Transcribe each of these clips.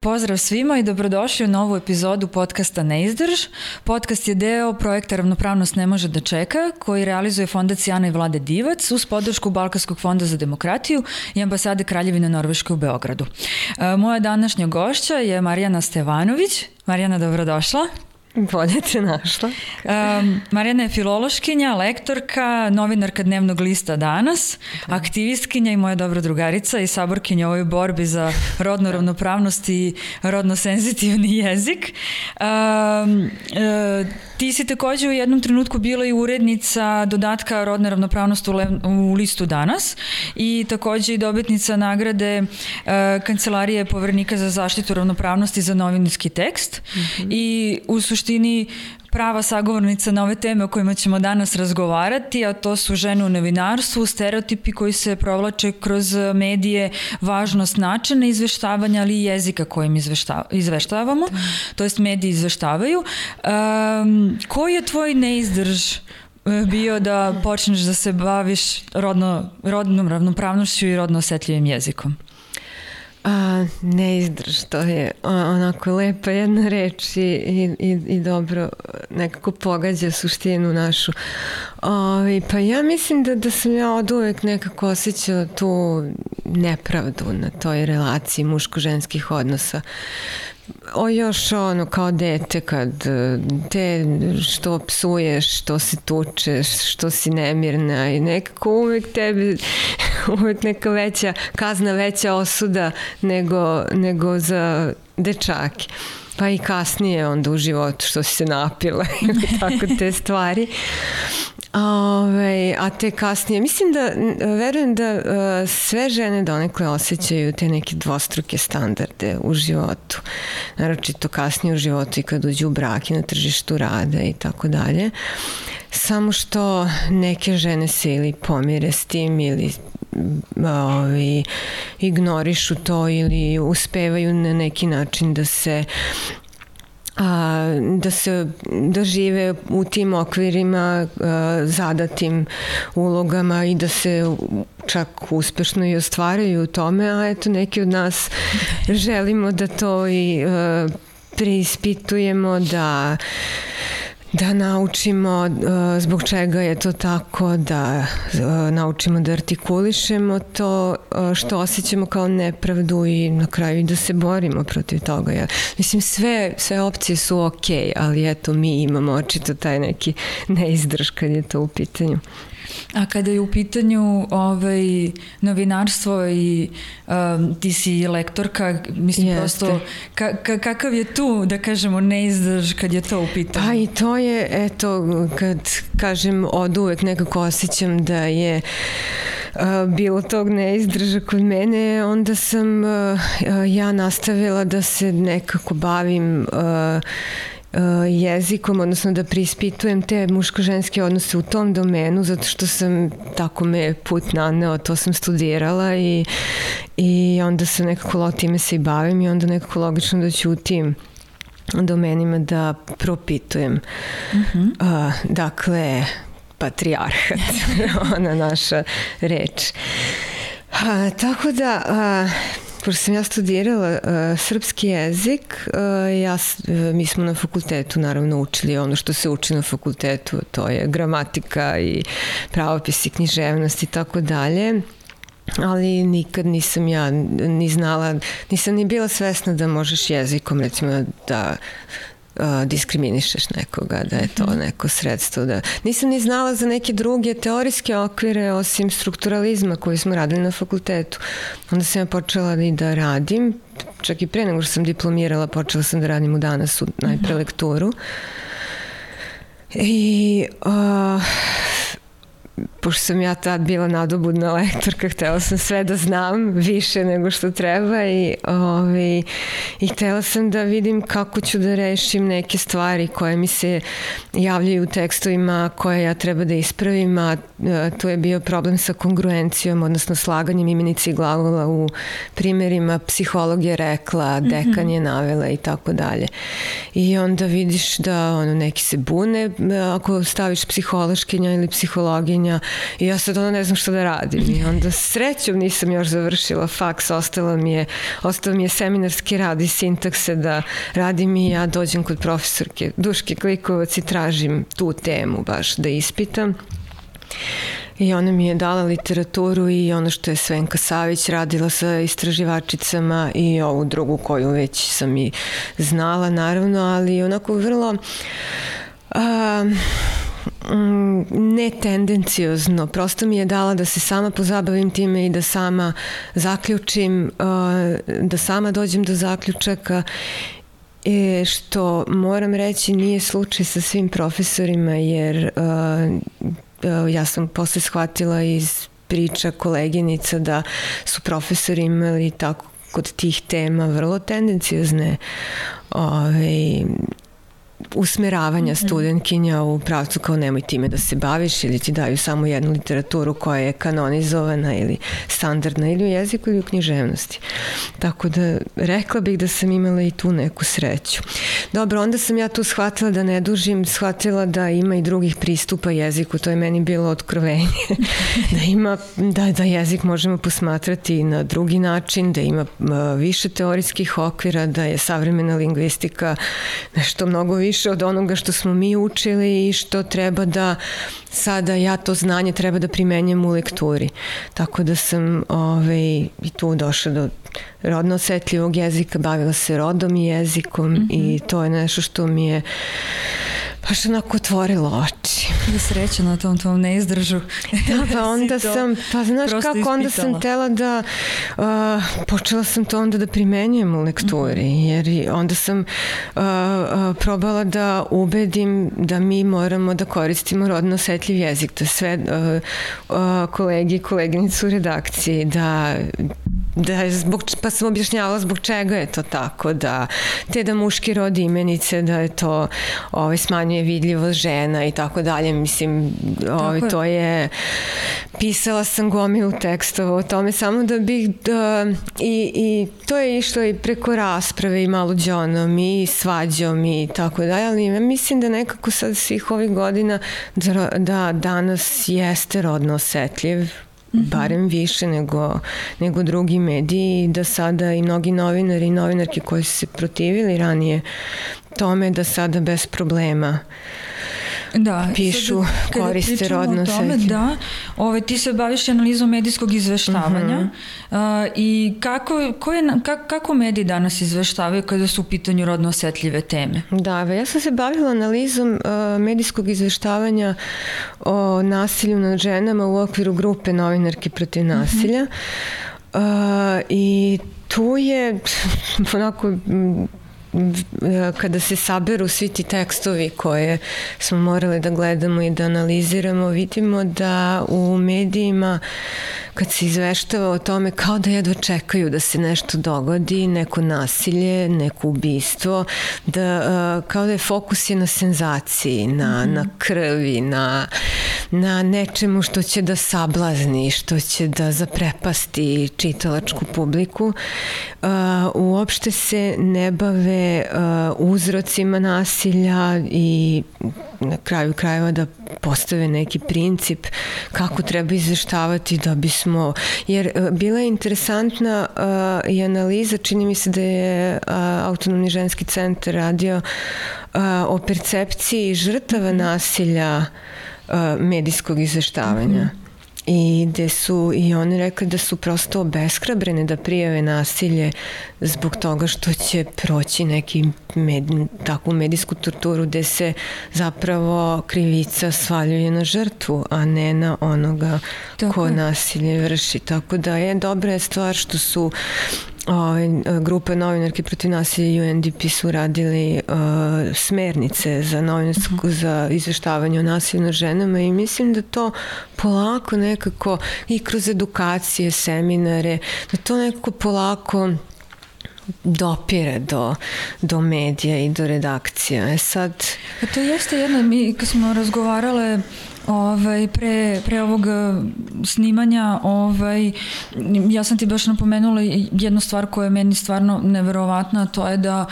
Pozdrav svima i dobrodošli u novu epizodu podcasta Neizdrž. Podcast je deo projekta Ravnopravnost ne može da čeka, koji realizuje Fondacija Ana i Vlade Divac uz podršku Balkanskog fonda za demokratiju i ambasade Kraljevine Norveške u Beogradu. Moja današnja gošća je Marijana Stevanović. Marijana, dobrodošla. Bolje te našla. Marijana je filološkinja, lektorka, novinarka dnevnog lista Danas, aktivistkinja i moja dobra drugarica i saborkinja u ovoj borbi za rodnu ravnopravnost i rodno senzitivni jezik. Ti si takođe u jednom trenutku bila i urednica dodatka rodne ravnopravnosti u listu Danas i takođe i dobitnica nagrade Kancelarije Poverenika za zaštitu ravnopravnosti za novinarski tekst. I u suštini prava sagovornica na ove teme o kojima ćemo danas razgovarati, a to su žene u novinarstvu, stereotipi koji se provlače kroz medije, važnost načina izveštavanja, ali i jezika kojim izveštavamo, to jest mediji izveštavaju. Koji je tvoj neizdrž bio da počneš da se baviš rodnom ravnopravnošću i rodno osetljivim jezikom? Neizdrž, to je onako lepa jedna reč i dobro nekako pogađa suštinu našu. Pa ja mislim da sam ja od uvek nekako osjećala tu nepravdu na toj relaciji muško-ženskih odnosa. Još ono kao dete kad te što psuješ, što se tučeš, što si nemirna i nekako uvek tebi uvek neka veća kazna, veća osuda nego za dečake. Pa i kasnije onda u životu što si se napila ili tako te stvari. A te kasnije, mislim da, verujem da sve žene donekle osjećaju te neke dvostruke standarde u životu. Naročito kasnije u životu i kad uđu u brak i na tržištu rada i tako dalje. Samo što neke žene se ili pomire s tim ili ignorišu to ili uspevaju na neki način da žive u tim okvirima, zadatim ulogama i da se čak uspešno i ostvaraju u tome, a eto neki od nas želimo da to i preispitujemo, da naučimo zbog čega je to tako, da naučimo da artikulišemo to što osjećamo kao nepravdu i na kraju da se borimo protiv toga. Mislim, sve opcije su okej, ali eto mi imamo očito taj neki neizdrž kad je to u pitanju. A kada je u pitanju novinarstvo i ti si lektorka, mislim prosto kakav je tu, da kažemo, neizdrž kad je to u pitanju? Pa i to je, eto, kad kažem od uvek nekako osjećam da je bilo tog neizdrža kod mene, onda sam ja nastavila da se nekako bavim jezikom, odnosno da preispitujem te muško-ženske odnose u tom domenu, zato što sam, tako me put naneo, to sam studirala i onda se nekako time se i bavim i onda nekako logično da ću u tim domenima da propitujem. Dakle, patrijarhat, ona naša reč. Tako da pošto sam ja studirala srpski jezik, mi smo na fakultetu naravno učili ono što se uči na fakultetu, to je gramatika i pravopis i književnost i tako dalje, ali nikad nisam ja ni znala, nisam ni bila svesna da možeš jezikom recimo da diskriminišeš nekoga, da je to neko sredstvo. Nisam ni znala za neke druge teorijske okvire osim strukturalizma koji smo radili na fakultetu. Onda sam ja počela i da radim, čak i pre nego što sam diplomirala, počela sam da radim u Danasu, najpre lekturu. I pošto sam ja tad bila nadobudna lektorka, htela sam sve da znam više nego što treba i htela sam da vidim kako ću da rešim neke stvari koje mi se javljaju u tekstovima koje ja treba da ispravim, a tu je bio problem sa kongruencijom, odnosno slaganjem imenice i glagola u primjerima psiholog je rekla, dekan je navela i tako dalje. I onda vidiš da neki se bune ako staviš psihološkinja ili psihologinja, i ja sad ne znam šta da radim i onda srećom nisam još završila faks, ostao mi je seminarski rad i sintakse da radim i ja dođem kod profesorke Duške Klikovac i tražim tu temu baš da ispitam. I ona mi je dala literaturu i ono što je Svenka Savić radila sa istraživačicama i ovu drugu koju već sam i znala naravno, ali onako vrlo netendencijozno. Prosto mi je dala da se sama pozabavim time i da sama zaključim, da sama dođem do zaključaka, što moram reći nije slučaj sa svim profesorima, jer ja sam posle shvatila iz priča koleginica da su profesori imali tako kod tih tema vrlo tendencijozne usmeravanja studentkinja u pravcu kao nemoj time da se baviš ili ti daju samo jednu literaturu koja je kanonizovana ili standardna ili u jeziku ili u književnosti. Tako da rekla bih da sam imala i tu neku sreću. Dobro, onda sam ja tu shvatila da ne dužim, shvatila da ima i drugih pristupa jeziku, to je meni bilo otkrovenje. da jezik možemo posmatrati na drugi način, da ima više teorijskih okvira, da je savremena lingvistika nešto mnogo više od onoga što smo mi učili i što treba da sada ja to znanje treba da primenjam u lekturi. Tako da sam i tu došla do rodno osetljivog jezika, bavila se rodom i jezikom i to je nešto što mi je baš onako otvorilo oči. Da sreća na tom neizdržu. Da, pa onda sam, pa znaš kako, onda sam tela da, počela sam to onda da primenjujem u lekturi, jer onda sam probala da ubedim da mi moramo da koristimo rodno osetljiv jezik, da sve kolegi i koleginicu u redakciji, pa sam objašnjavala zbog čega je to tako, da muški rod imenice, da je to smanjuje vidljivost žena i tako dalje, mislim, to je, pisala sam gomilu tekstova o tome, samo da bih, i to je išlo i preko rasprave i maluđonom i svađom i tako dalje, ali mislim da nekako sad svih ovih godina da danas jeste rodno osetljiv, barem više nego drugi mediji, da sada i mnogi novinari i novinarke koji su se protivili ranije tome, da sada bez problema pišu, koriste rodno osetljivo. Da, ti se baviš analizom medijskog izveštavanja i kako mediji danas izveštavaju kada su u pitanju rodno osetljive teme? Da, ja sam se bavila analizom medijskog izveštavanja o nasilju nad ženama u okviru grupe Novinarke protiv nasilja i tu je onako, kada se saberu svi ti tekstovi koje smo morali da gledamo i da analiziramo, vidimo da u medijima kad se izveštava o tome kao da jedva čekaju da se nešto dogodi, neko nasilje, neko ubistvo, kao da je fokus na senzaciji, na krvi, na nečemu što će da sablazni, što će da zaprepasti čitalačku publiku. Uopšte se ne bave uzrocima nasilja i na kraju krajeva da postave neki princip kako treba izveštavati da bismo, jer bila je interesantna i analiza, čini mi se da je Autonomni ženski centar radio o percepciji žrtava nasilja medijskog izveštavanja. I gde su i oni rekli da su prosto obeshrabrene da prijave nasilje zbog toga što će proći takvu medijsku torturu gde se zapravo krivica svaljuje na žrtvu, a ne na onoga ko nasilje vrši. Tako da je dobra stvar što su grupe Novinarke protiv nasilja i UNDP su radili smernice za izveštavanje o nasilju nad ženama i mislim da to polako nekako i kroz edukacije, seminare, da to nekako polako dopire do medija i do redakcija. Sad... To jeste jedno, mi kad smo razgovarale Pre ovog snimanja ja sam ti baš napomenula jednu stvar koja je meni stvarno neverovatna, to je da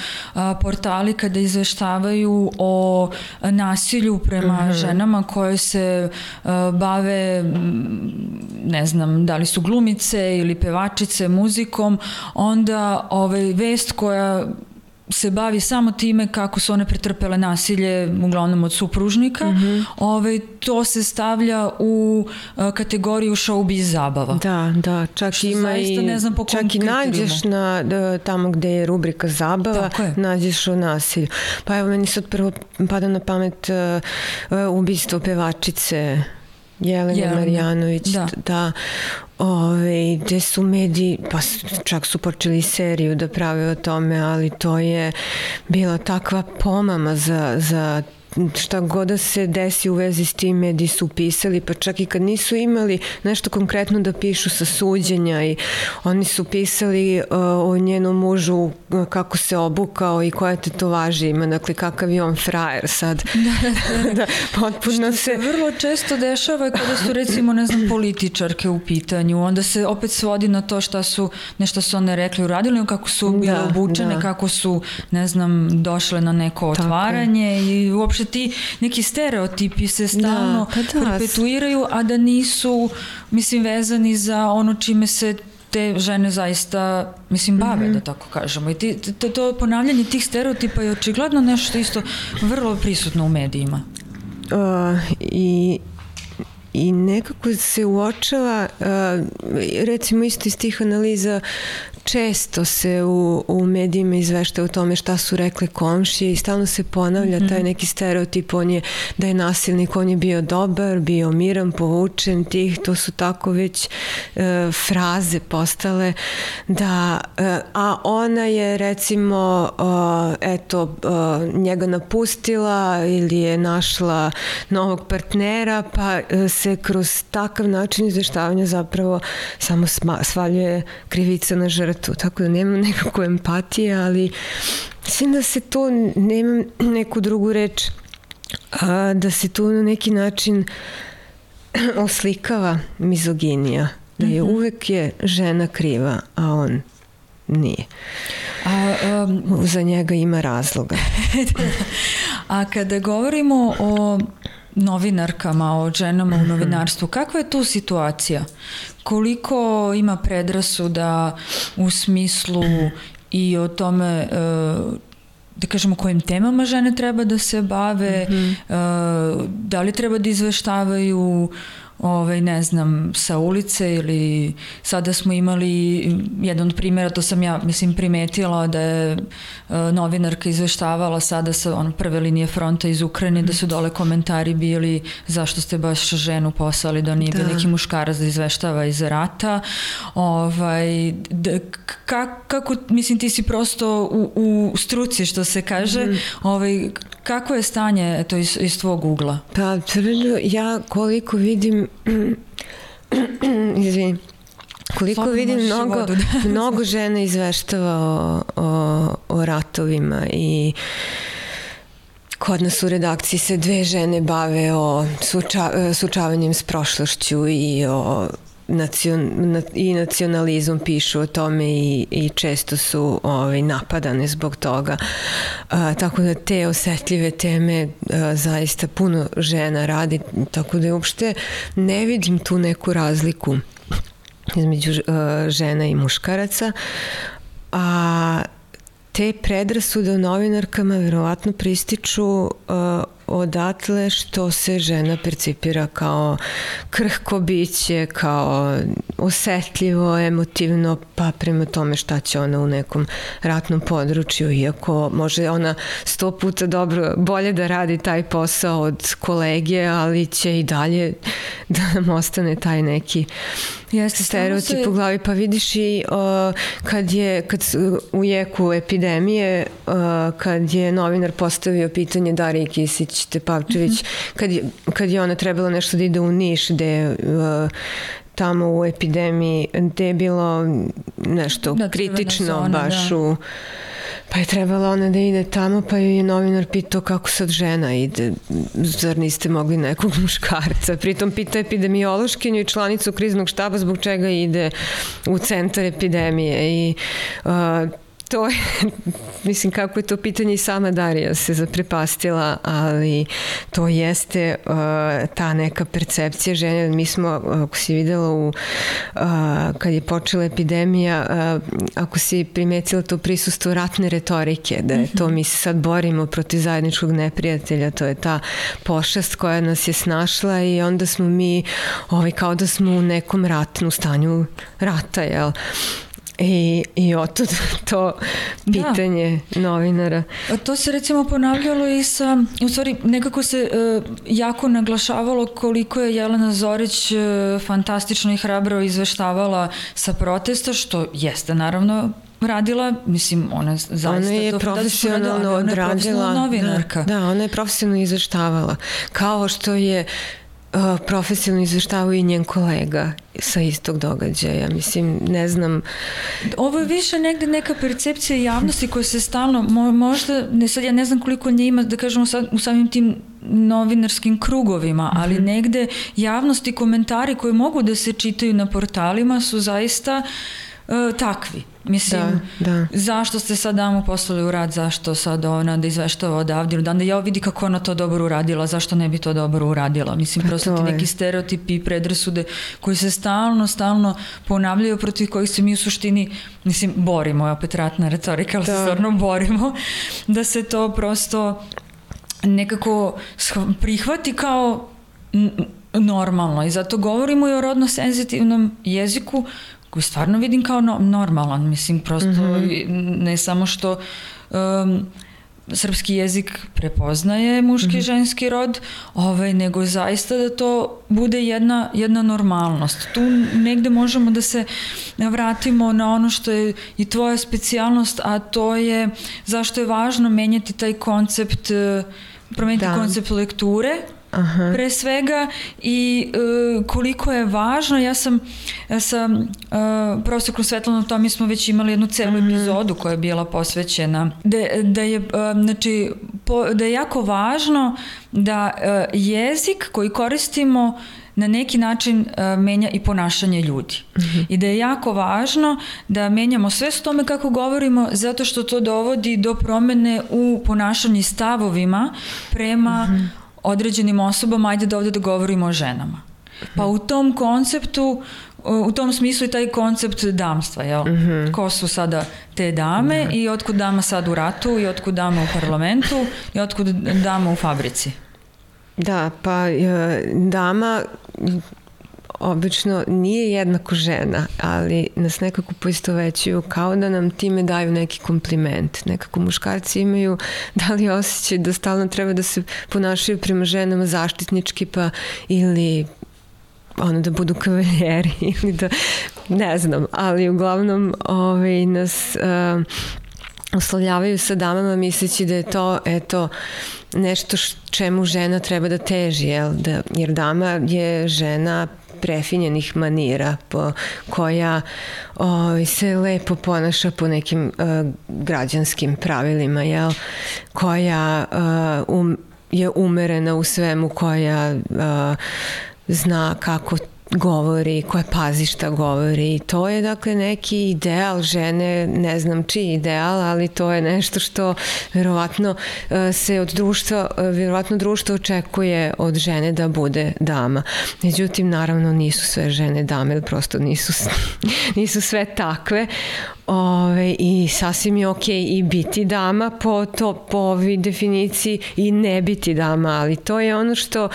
portali kada izveštavaju o nasilju prema ženama koje se bave, ne znam, da li su glumice ili pevačice muzikom, onda vest koja se bavi samo time kako su one pretrpele nasilje, uglavnom od supružnika, to se stavlja u kategoriju showbiz zabava. Da, čak ima čak i nađeš tamo gde je rubrika zabava, nađeš o nasilju. Pa evo, meni sad prvo pada na pamet ubistvo pevačice Jelene Marjanović, da, gde su mediji, pa čak su počeli seriju da prave o tome, ali to je bila takva pomama za šta god da se desi u vezi s tim, mediji su pisali, pa čak i kad nisu imali nešto konkretno da pišu sa suđenja, i oni su pisali o njenom mužu kako se obukao i koje tetovaže ima, dakle kakav je on frajer sad. Da, potpuno se vrlo često dešava kada su recimo, ne znam, političarke u pitanju, onda se opet svodi na to nešto su one rekli, uradili, kako su bile obučene, kako su, ne znam, došle na neko otvaranje i uopšte ti neki stereotipi se stalno perpetuiraju, a da nisu, mislim, vezani za ono čime se te žene zaista, mislim, bave, da tako kažemo. I to ponavljanje tih stereotipa je očigledno nešto isto vrlo prisutno u medijima. I nekako se uočava, recimo isto iz tih analiza, često se u medijima izvešta o tome šta su rekle komšije i stalno se ponavlja taj neki stereotip, da je nasilnik, on je bio dobar, bio miran, povučen, to su tako već fraze postale, da, a ona je recimo njega napustila ili je našla novog partnera, pa se kroz takav način izveštavanja zapravo samo svaljuje krivica na žrtvu. Tako da nemam nekakvu empatije, ali mislim da se to, nemam neku drugu reč, da se tu na neki način oslikava mizoginija, da je uvek je žena kriva, a on nije. Za njega ima razloga. A kada govorimo o novinarkama, o ženama u novinarstvu, kakva je tu situacija? Koliko ima predrasuda u smislu i o tome, da kažemo, kojim temama žene treba da se bave, da li treba da izveštavaju ne znam, sa ulice, ili sada smo imali jedan od primjera, to sam ja, mislim, primetila, da je novinarka izveštavala sada sa prve linije fronta iz Ukrajine, da su dole komentari bili zašto ste baš ženu poslali, da nije bio neki muškarac da izveštava iz rata. Kako, mislim, ti si prosto u struci, što se kaže, kako je stanje to iz tvog ugla? Pa, ja koliko vidim koliko vidim mnogo žena izveštava o ratovima, i kod nas u redakciji se 2 žene bave o suočavanjem s prošlošću i i nacionalizam, pišu o tome i često su napadane zbog toga. Tako da te osetljive teme zaista puno žena radi, tako da uopšte ne vidim tu neku razliku između žena i muškaraca. A te predrasude o novinarkama verovatno prističu odatle što se žena percipira kao krhko biće, kao osetljivo, emotivno, pa prema tome šta će ona u nekom ratnom području, iako može ona 100 puta bolje da radi taj posao od kolege, ali će i dalje da nam ostane taj neki stereotip u glavi. Pa vidiš i kad u jeku epidemije, kad je novinar postavio pitanje Dariji Kisić Tepavčević, kad je ona trebala nešto da ide u Niš, gde tamo u epidemiji, gde je bilo nešto kritično baš u Pa je trebala ona da ide tamo, pa je novinar pitao kako sad žena ide, zar niste mogli nekog muškarca. Pritom pita epidemiološkinju i članicu kriznog štaba zbog čega ide u centar epidemije i to je, mislim kako je to pitanje i sama Darija se zaprepastila, ali to jeste ta neka percepcija žene. Mi smo, ako si videla kad je počela epidemija, ako si primetila to prisustvo ratne retorike, da je to mi se sad borimo protiv zajedničkog neprijatelja, to je ta pošast koja nas je snašla i onda smo mi kao da smo u nekom ratnom stanju rata, jel? I otud to pitanje novinara. To se recimo ponavljalo i u stvari nekako se jako naglašavalo koliko je Jelena Zorić fantastično i hrabro izveštavala sa protesta, što jeste naravno radila, mislim, ona zaista ona je to profesionalno odradila. Novinarka. Da, ona je profesionalno izveštavala. Kao što je profesionalno izveštavao i njen kolega sa istog događaja. Mislim, ne znam. Ovo je više negde neka percepcija javnosti koja se stalno, možda, sad ja ne znam koliko nje ima, da kažemo u samim tim novinarskim krugovima, ali negde javnosti komentari koji mogu da se čitaju na portalima su zaista takvi. Mislim, zašto ste sad damu poslali u rad, zašto sad ona da izveštava odavde, da ja vidi kako ona to dobro uradila, zašto ne bi to dobro uradila. Mislim, prosto ti neki stereotipi i predrasude koji se stalno ponavljaju, protiv kojih se mi u suštini, mislim, borimo, je opet ratna retorika, ali se stvarno borimo, da se to prosto nekako prihvati kao normalno. I zato govorimo i o rodno senzitivnom jeziku koji stvarno vidim kao normalan. Mislim, prosto ne samo što srpski jezik prepoznaje muški i ženski rod, nego zaista da to bude jedna normalnost. Tu negde možemo da se vratimo na ono što je i tvoja specijalnost, a to je zašto je važno menjati taj koncept, promeniti koncept lekture, pre svega, i koliko je važno. Ja sam sa profesorom Svetlanom Tomi smo već imali jednu celu epizodu koja je bila posvećena da je jako važno da jezik koji koristimo na neki način menja i ponašanje ljudi. I da je jako važno da menjamo svest o tome kako govorimo, zato što to dovodi do promene u ponašanju i stavovima prema određenim osobama, ajde da ovde da govorimo o ženama. Pa u tom konceptu, u tom smislu i taj koncept damstva, jel? Ko su sada te dame i otkud dama sad u ratu i otkud dama u parlamentu i otkud dama u fabrici? Da, pa dama obično nije jednako žena, ali nas nekako poistovećuju kao da nam time daju neki kompliment. Nekako muškarci imaju da li osjećaj da stalno treba da se ponašaju prema ženama zaštitnički, pa ili da budu kavaljeri ili da, ne znam, ali uglavnom nas oslovljavaju sa damama misleći da je to, eto, nešto čemu žena treba da teži, jer dama je žena prefinjenih manira koja se lepo ponaša po nekim građanskim pravilima, koja je umerena u svemu, koja zna kako govori, koja pazi šta govori. To je dakle neki ideal žene, ne znam čiji ideal, ali to je nešto što verovatno se od društva, verovatno društvo očekuje od žene da bude dama. Međutim, naravno nisu sve žene dame, prosto nisu sve takve. I sasvim je okej i biti dama po ovoj definiciji i ne biti dama, ali to je ono što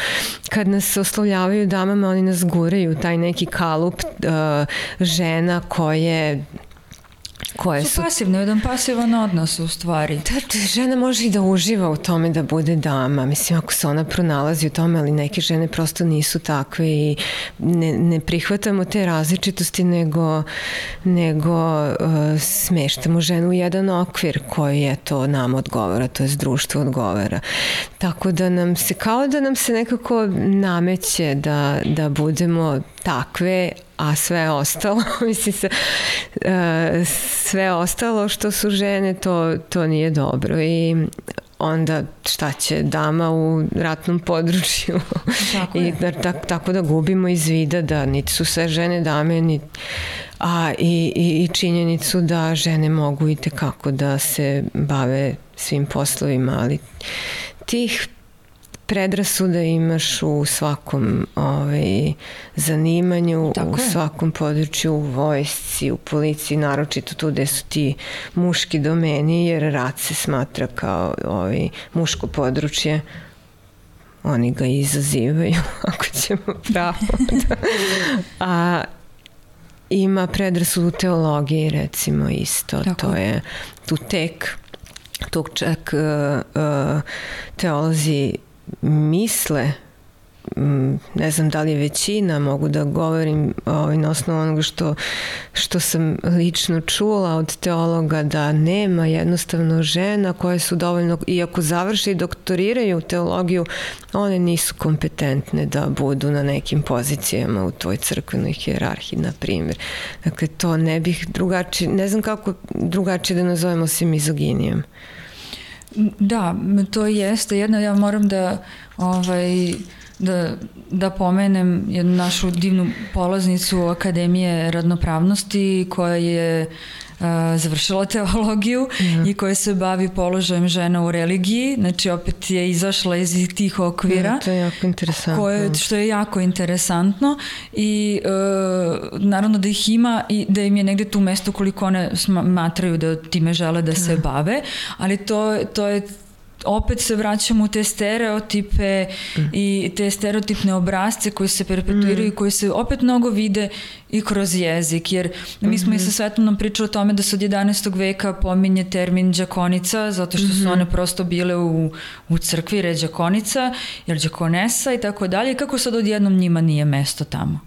kad nas oslovljavaju damama, oni nas guraju, taj neki kalup žena koje su pasivne, jedan pasivan odnos u stvari. Da, žena može i da uživa u tome da bude dama, mislim, ako se ona pronalazi u tome, ali neke žene prosto nisu takve i ne prihvatamo te različitosti, nego smeštamo ženu u jedan okvir koji je to nam odgovara, to je društvo odgovara. Tako da nam se, kao da nam se nekako nameće da budemo takve, a sve ostalo, mislim, sve ostalo što su žene, to nije dobro i onda šta će dama u ratnom području i tako da gubimo iz vida da niti su sve žene dame, i činjenicu da žene mogu i tekako da se bave svim poslovima, ali tih predrasuda imaš u svakom zanimanju, u svakom području, u vojsci, u policiji, naročito tu gde su ti muški domeni, jer rat se smatra kao muško područje. Oni ga izazivaju, ako ćemo pravo. A ima predrasudu u teologiji, recimo, isto. To je tu čak teolozi misle, ne znam da li je većina, mogu da govorim na osnovu onoga što sam lično čula od teologa, da nema jednostavno žena koje su dovoljno, iako završe i doktoriraju teologiju, one nisu kompetentne da budu na nekim pozicijama u toj crkvenoj hijerarhiji, na primjer. Dakle, to ne bih drugačije, ne znam kako drugačije da nazovemo osim mizoginijom. Da, to jeste. Jedno, ja moram da pomenem jednu našu divnu polaznicu Akademije radnopravnosti koja je završila teologiju i koja se bavi položajem žena u religiji, znači opet je izašla iz tih okvira. To je jako interesantno. Što je jako interesantno i naravno da ih ima i da im je negde tu mesto koliko one smatraju da time žele da se bave, ali to je opet se vraćamo u te stereotipe i te stereotipne obrazce koji se perpetuiraju i koji se opet mnogo vide i kroz jezik, jer mi smo i sa Svetlanom pričali o tome da se od 11. veka pominje termin đakonica, zato što su one prosto bile u crkvi red đakonica, jer đakonesa i tako dalje, i kako sad odjednom njima nije mesto tamo.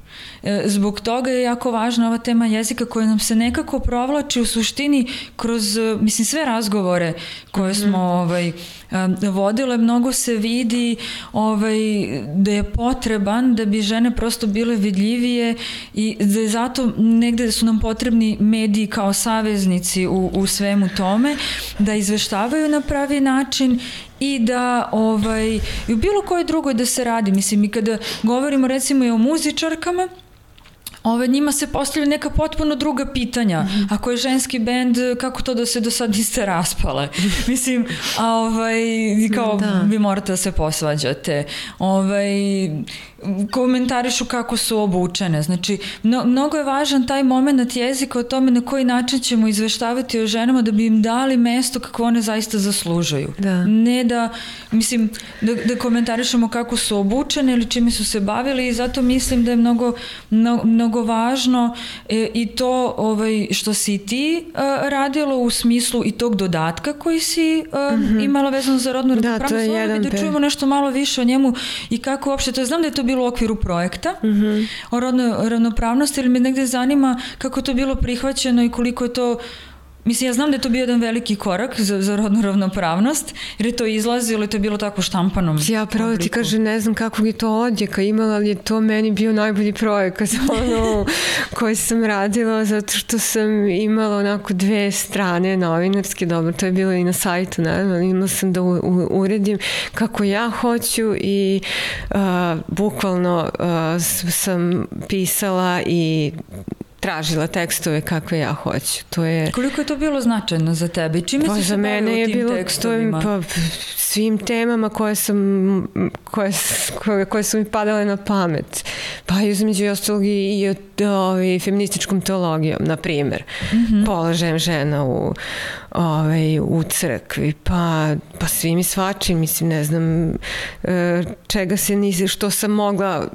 Zbog toga je jako važna ova tema jezika koja nam se nekako provlači u suštini kroz, mislim, sve razgovore koje smo vodile, mnogo se vidi da je potreban da bi žene prosto bile vidljivije i da je zato negde su nam potrebni mediji kao saveznici u svemu tome, da izveštavaju na pravi način i da i u bilo kojoj drugoj da se radi. Mislim, i kada govorimo recimo i o muzičarkama, njima se postavlja neka potpuno druga pitanja. Ako je ženski bend, kako to da se do sad niste raspale? Mislim, kao vi morate da se posvađate. Komentarišu kako su obučene. Znači, mnogo je važan taj moment jezika o tome na koji način ćemo izveštavati o ženama da bi im dali mesto kako one zaista zaslužuju. Ne da, mislim, da komentarišemo kako su obučene ili čime su se bavili, i zato mislim da je mnogo važno i to što si ti radilo u smislu i tog dodatka koji si imala vezano za rodnu ravnopravnost, da čujemo nešto malo više o njemu i kako uopšte, to znam da je to bilo u okviru projekta o rodnoj ravnopravnosti, ili me negde zanima kako to bilo prihvaćeno i koliko je to. Mislim, ja znam da je to bio jedan veliki korak za rodnu ravnopravnost, jer je to izlazilo i to je bilo tako štampanom. Ja pravo ti kažem, ne znam kakvog je to odjeka imala, ali je to meni bio najbolji projekat koji sam radila, zato što sam imala onako 2 strane novinarske, dobro, to je bilo i na sajtu, naravno, imala sam da uredim kako ja hoću i bukvalno sam pisala i tražila tekstove kakve ja hoću. Koliko je to bilo značajno za tebe? Čime si se bavila u tim tekstovima? Svim temama koje su mi padale na pamet. Pa između ostalog i feminističkom teologijom, na primjer. Položajem žena u crkvi, pa svim i svačim, mislim, ne znam čega se nisi, što sam mogla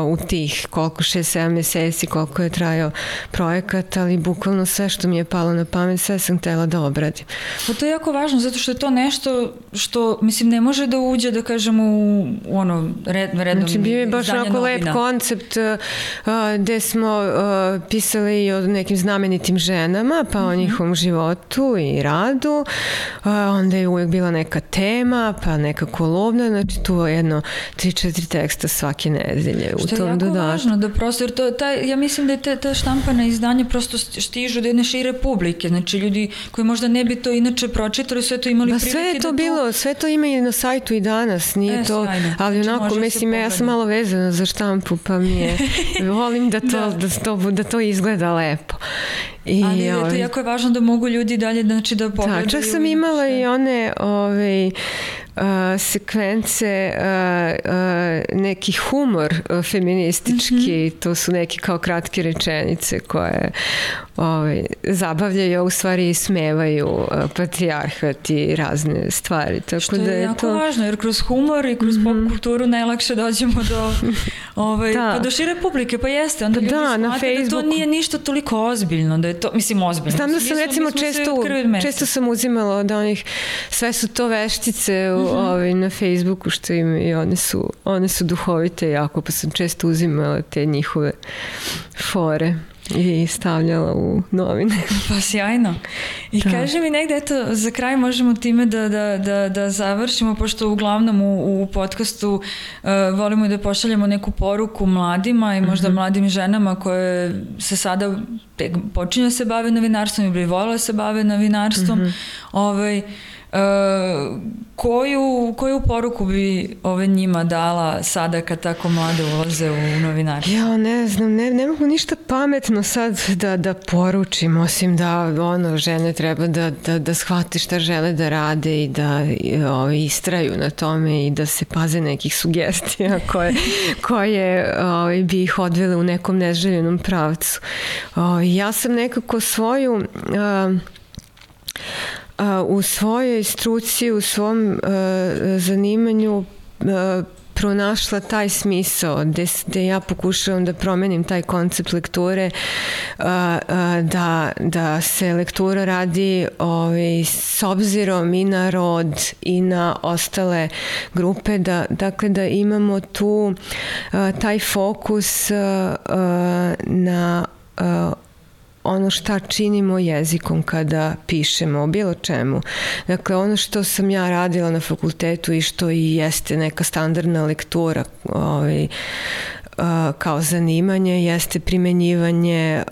u tih 6-7 meseci koliko je trajao projekat, ali bukvalno sve što mi je palo na pamet, sve sam htjela da obradim. Pa to je jako važno, zato što je to nešto što, mislim, ne može da uđe, da kažemo, u rednom izdanje novina. Znači, bio je baš onako lep koncept gde smo pisali i o nekim znamenitim ženama, pa o njihovom životu i radu. Onda je uvijek bila neka tema, pa neka kolumna, znači tu je jedno 3-4 teksta svake nedelje u tom dodatku. Što je jako važno, da prosto, jer ja mislim da je ta štampana izdanja prosto stižu do jedne šire publike, znači ljudi koji možda ne bi to inače pročitali, sve to imali prilike sve je to bilo, sve to ima i na sajtu i danas, nije to, ali onako, mislim, ja sam malo vezana za štampu, pa mi je, volim da to izgleda lepo. Ali to jako je važno da mogu ljudi dalje, znači, da pogledaju. Čak sam imala i one sekvence, neki humor feministički, to su neke kao kratke rečenice koje zabavljaju, a u stvari ismevaju patrijarhat i razne stvari. Tako što je jako važno, jer kroz humor i kroz pop kulturu najlakše dođemo do šire publike, pa jeste, onda ljudi shvate da to nije ništa toliko ozbiljno, da je to, mislim, ozbiljno. Znam da sam recimo često sam uzimala od onih, sve su to veštice na Facebooku što im i one su duhovite jako, pa sam često uzimala te njihove fore i stavljala u novine. Pa sjajno. I kaži mi negde, eto, za kraj možemo time da završimo, pošto uglavnom u podcastu volimo da pošaljemo neku poruku mladima i možda mladim ženama koje se sada počinju da se bave novinarstvom ili bi volele da se bave novinarstvom. Koju poruku bi njima dala sada kad tako mlade ulaze u novinarstvo? Ja ne znam, ne mogu ništa pametno sad da poručim, osim da žene treba da shvate šta žele da rade i da istraju na tome i da se paze nekih sugestija koje bi ih odvele u nekom neželjenom pravcu. Ja sam nekako u svojoj struci, u svom zanimanju pronašla taj smisao gde ja pokušavam da promenim taj koncept lekture, da se lektura radi s obzirom i na rod i na ostale grupe, dakle da imamo tu taj fokus na ono šta činimo jezikom kada pišemo o bilo čemu. Dakle, ono što sam ja radila na fakultetu i što i jeste neka standardna lektura kao zanimanje, jeste primenjivanje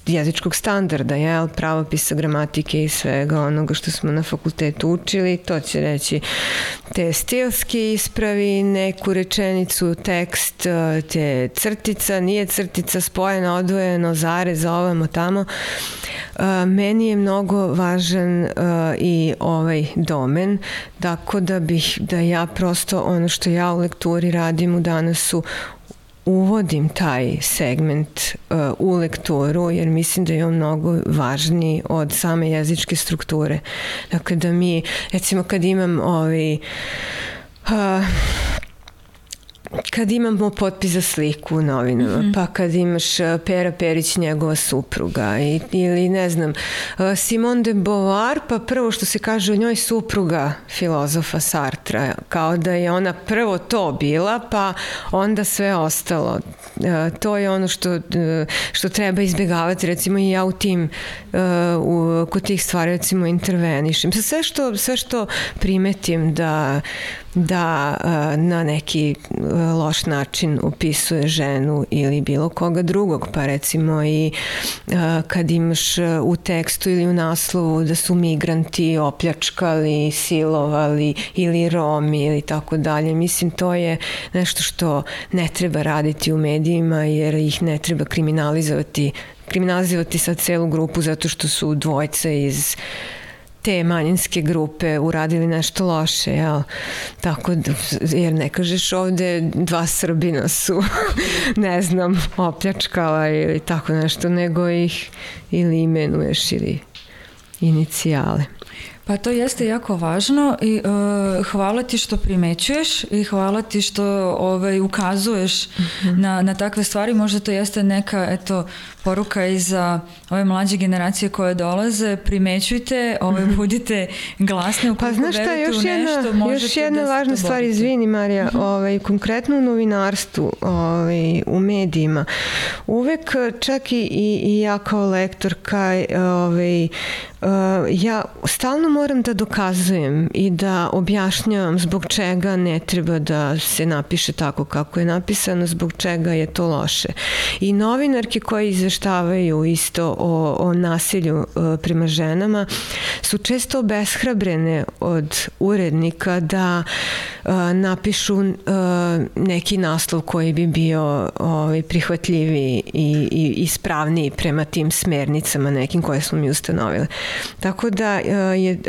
jezičkog standarda, pravopisa, gramatike i svega onoga što smo na fakultetu učili. To će reći te stilski ispravi, neku rečenicu, tekst, te crtica, nije crtica, spojeno, odvojeno, zarez, ovamo, tamo. Meni je mnogo važan i ovaj domen, tako da ja prosto ono što ja u lekturi radim u Danasu uvodim taj segment u lekturu, jer mislim da je on mnogo važniji od same jezičke strukture. Dakle, da mi, recimo, kad imamo potpis za sliku u novinama, pa kad imaš Pera Perić, njegova supruga, ili ne znam, Simone de Beauvoir, pa prvo što se kaže o njoj supruga filozofa Sartra, kao da je ona prvo to bila, pa onda sve ostalo. To je ono što treba izbjegavati, recimo i ja kod tih stvari recimo intervenišem. Sve što primetim da na neki loš način opisuje ženu ili bilo koga drugog, pa recimo i kad imaš u tekstu ili u naslovu da su migranti opljačkali, silovali ili Romi ili tako dalje. Mislim, to je nešto što ne treba raditi u medijima, jer ih ne treba kriminalizovati sad celu grupu zato što su dvojca iz te manjinske grupe uradili nešto loše, jel? Tako da, jer ne kažeš ovde 2 Srbina su, ne znam, opljačkala ili tako nešto, nego ih ili imenuješ ili inicijale. Pa to jeste jako važno i hvala ti što primećuješ i hvala ti što ukazuješ na takve stvari. Možda to jeste neka poruka i za ove mlađe generacije koje dolaze. Primećujte, budite glasne, ukoliko verujete u nešto, možete još jedna važna stvar, izvini Marija, konkretno u novinarstvu, u medijima, uvek čak i ja kao lektorka ja stalno moram da dokazujem i da objašnjavam zbog čega ne treba da se napiše tako kako je napisano, zbog čega je to loše. I novinarke koje izveštavaju isto o nasilju prema ženama su često obeshrabrene od urednika da napišu neki naslov koji bi bio prihvatljiviji i ispravniji prema tim smernicama nekim koje smo mi ustanovile. Tako da je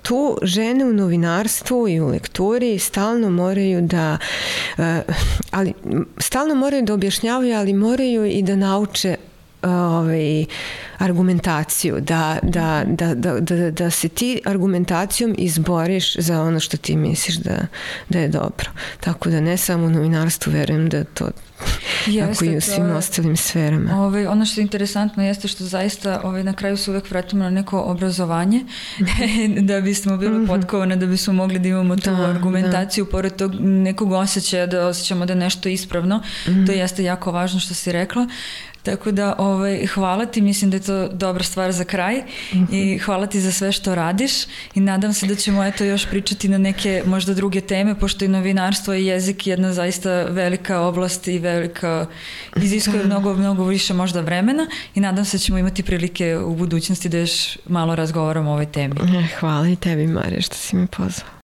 tu žene u novinarstvu i u lekturi stalno moraju da objašnjavaju, ali moraju i da nauče argumentaciju, da se ti argumentacijom izboriš za ono što ti misliš da je dobro. Tako da ne samo u novinarstvu, verujem da to tako i u svim ostalim sferama. Ono što je interesantno jeste što zaista na kraju se uvek vratimo na neko obrazovanje da bismo bili potkovane, da bismo mogli da imamo tu argumentaciju pored tog nekog osjećaja da osjećamo da je nešto ispravno. To jeste jako važno što si rekla. Tako da hvala ti, mislim da je to dobra stvar za kraj i hvala ti za sve što radiš i nadam se da ćemo još pričati na neke možda druge teme, pošto je novinarstvo i jezik jedna zaista velika oblast i velika, iziskuje mnogo više možda vremena i nadam se da ćemo imati prilike u budućnosti da još malo razgovaramo o ovoj temi. Hvala i tebi, Marija, što si me pozvala.